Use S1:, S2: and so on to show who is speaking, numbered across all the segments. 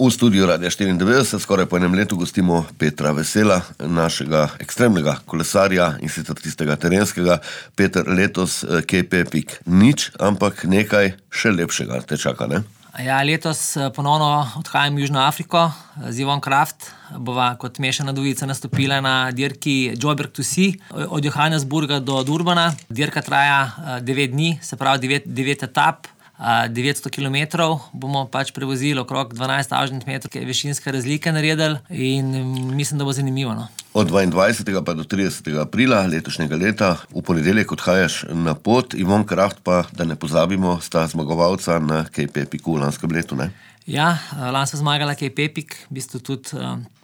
S1: V studiu Radia 94 skoraj po enem letu gostimo Petra Vesela, našega ekstremnega kolesarja in sicer tistega terenskega. Peter, letos KP Epic nič, ampak nekaj še lepšega te čaka, ne?
S2: Ja, letos ponovno odhajam v Južno Afriko z Yvonne Craft. Bova kot mešana dvojica nastopila na dirki Joburg to Sea od Johannesburga do Durbana. Dirka traja 9 dni, se pravi 9 etap. 900 kilometrov bomo pač prevozili, okrog 12.000 metrov višinske razlike naredili in mislim, da bo zanimivo, no.
S1: Od 22. pa do 30. aprila letošnjega leta v ponedeljek odhajaš na pot. Yvonne Craft pa, da ne pozabimo, sta zmagovalca na KP Epicu v lanskem letu, ne?
S2: Ja, lani sva zmagala KP Epic, v bistvu tudi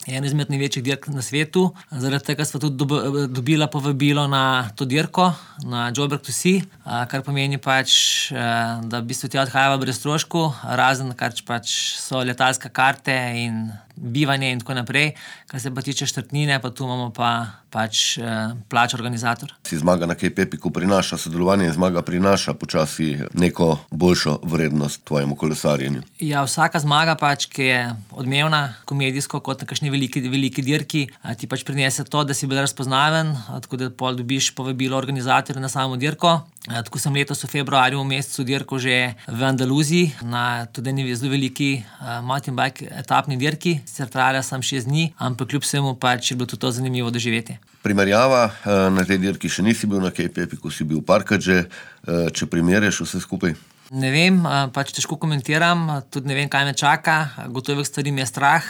S2: en izmed največjih dirk na svetu. Zaradi tega sva tudi dobila povabilo na to dirko, na Joburg to Sea, kar pomeni pač, da v bistvu tja odhajava brez stroškov, razen kar pač so letalske karte in bivanje in tako naprej. Kar se pa tiče štartnine, pa tu imamo pa pač plač organizator.
S1: Si zmaga na KP Epicu prinaša sodelovanje in zmaga prinaša počasi neko boljšo vrednost tvojemu kolesarjenju.
S2: Ja, vsaka zmaga pač, ki je odmevna, komedijsko, kot na kakšni veliki dirki, ti pač prinese to, da si bolj razpoznaven, tako da pol dobiš povabilo organizatorja na samo dirko. Tako sem letos v februarju v mesecu dirko že v Andaluziji na tudi eni zelo veliki mountain bike etapni dirki. Sicer trajala sem 6 dni, ampak kljub vsemu pač je bilo tudi to zanimivo doživeti.
S1: Primerjava, na tej dirki še nisi bil na KP Epicu, si bil parkrat že, če primerjaš vse skupaj?
S2: Ne vem, pač težko komentiram, tudi ne vem, kaj me čaka, gotovih stvari mi je strah,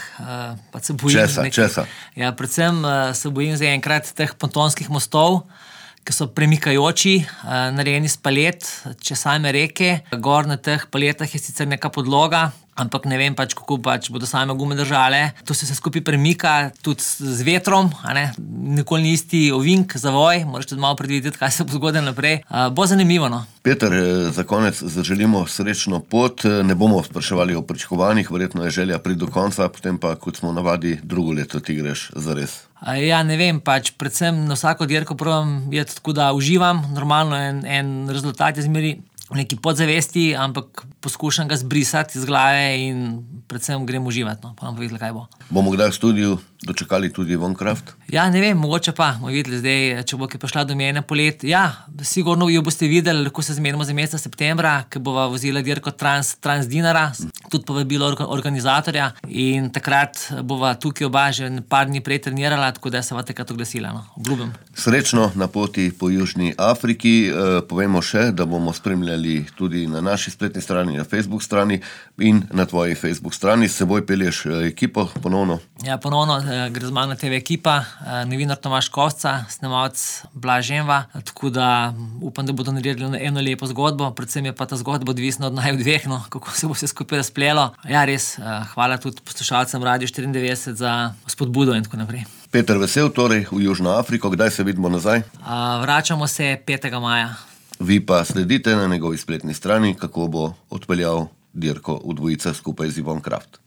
S2: pač se bojim.
S1: Česa?
S2: Ja, predvsem se bojim zaenkrat teh pontonskih mostov, ki so premikajoči, narejeni iz palet, čez same reke. Gor na teh paletah je sicer neka podloga, ampak ne vem pač, kako pač bodo same gume držale. To se skupaj premika, tudi z vetrom, a ne? Nikoli ni isti ovink, zavoj, moraš tudi malo predvideti, kaj se bo zgodilo naprej. Bo zanimivo, no.
S1: Peter, za konec zaželimo srečno pot, ne bomo spraševali o pričakovanjih, verjetno je želja priti do konca, potem pa, kot smo navadi, drugo leto ti greš zares.
S2: Ja, ne vem, pač predvsem na vsako dirko probam iti tako, da uživam, normalno en rezultat je zmeri v neki podzavesti, ampak poskušam ga zbrisati iz glave in predvsem grem uživati, no, pa nam povedali, kaj bo. Bomo
S1: kdaj v studiu dočakali tudi Yvonne Craft?
S2: Ja, ne vem, mogoče pa, bomo videli zdaj, če bo ki prišla do mene polet. Ja, sigurno jo boste videli, lahko se zmenimo za meseca septembra, ki bova vozila dirko Trans Dinara, tudi povabilo organizatorja in takrat bova tukaj oba že par dni prej trenirala, tako da se va takrat oglasila, no, obljubim.
S1: Srečno na poti po Južni Afriki, povemo še, da bomo spremljali tudi na naši spletni strani, na Facebook strani in na tvoji Facebook strani. S seboj pelješ ekipo ponovno? Ja,
S2: ponovno gre z mano TV ekipa, novinar Tomaž Kovca, snemalec Blaž Enva, tako da upam, da bodo naredili eno lepo zgodbo, predvsem je pa ta zgodba odvisna od naju dveh, no, kako se bo vse skupaj razplelo. Ja, res, hvala tudi poslušalcem Radio 94 za spodbudo in tako naprej.
S1: Peter Vesel, torej v Južno Afriko, kdaj se vidimo nazaj?
S2: Vračamo se 5. maja.
S1: Vi pa sledite na njegovi spletni strani, kako bo odpeljal dirko v dvojica skupaj z Yvonne Craft.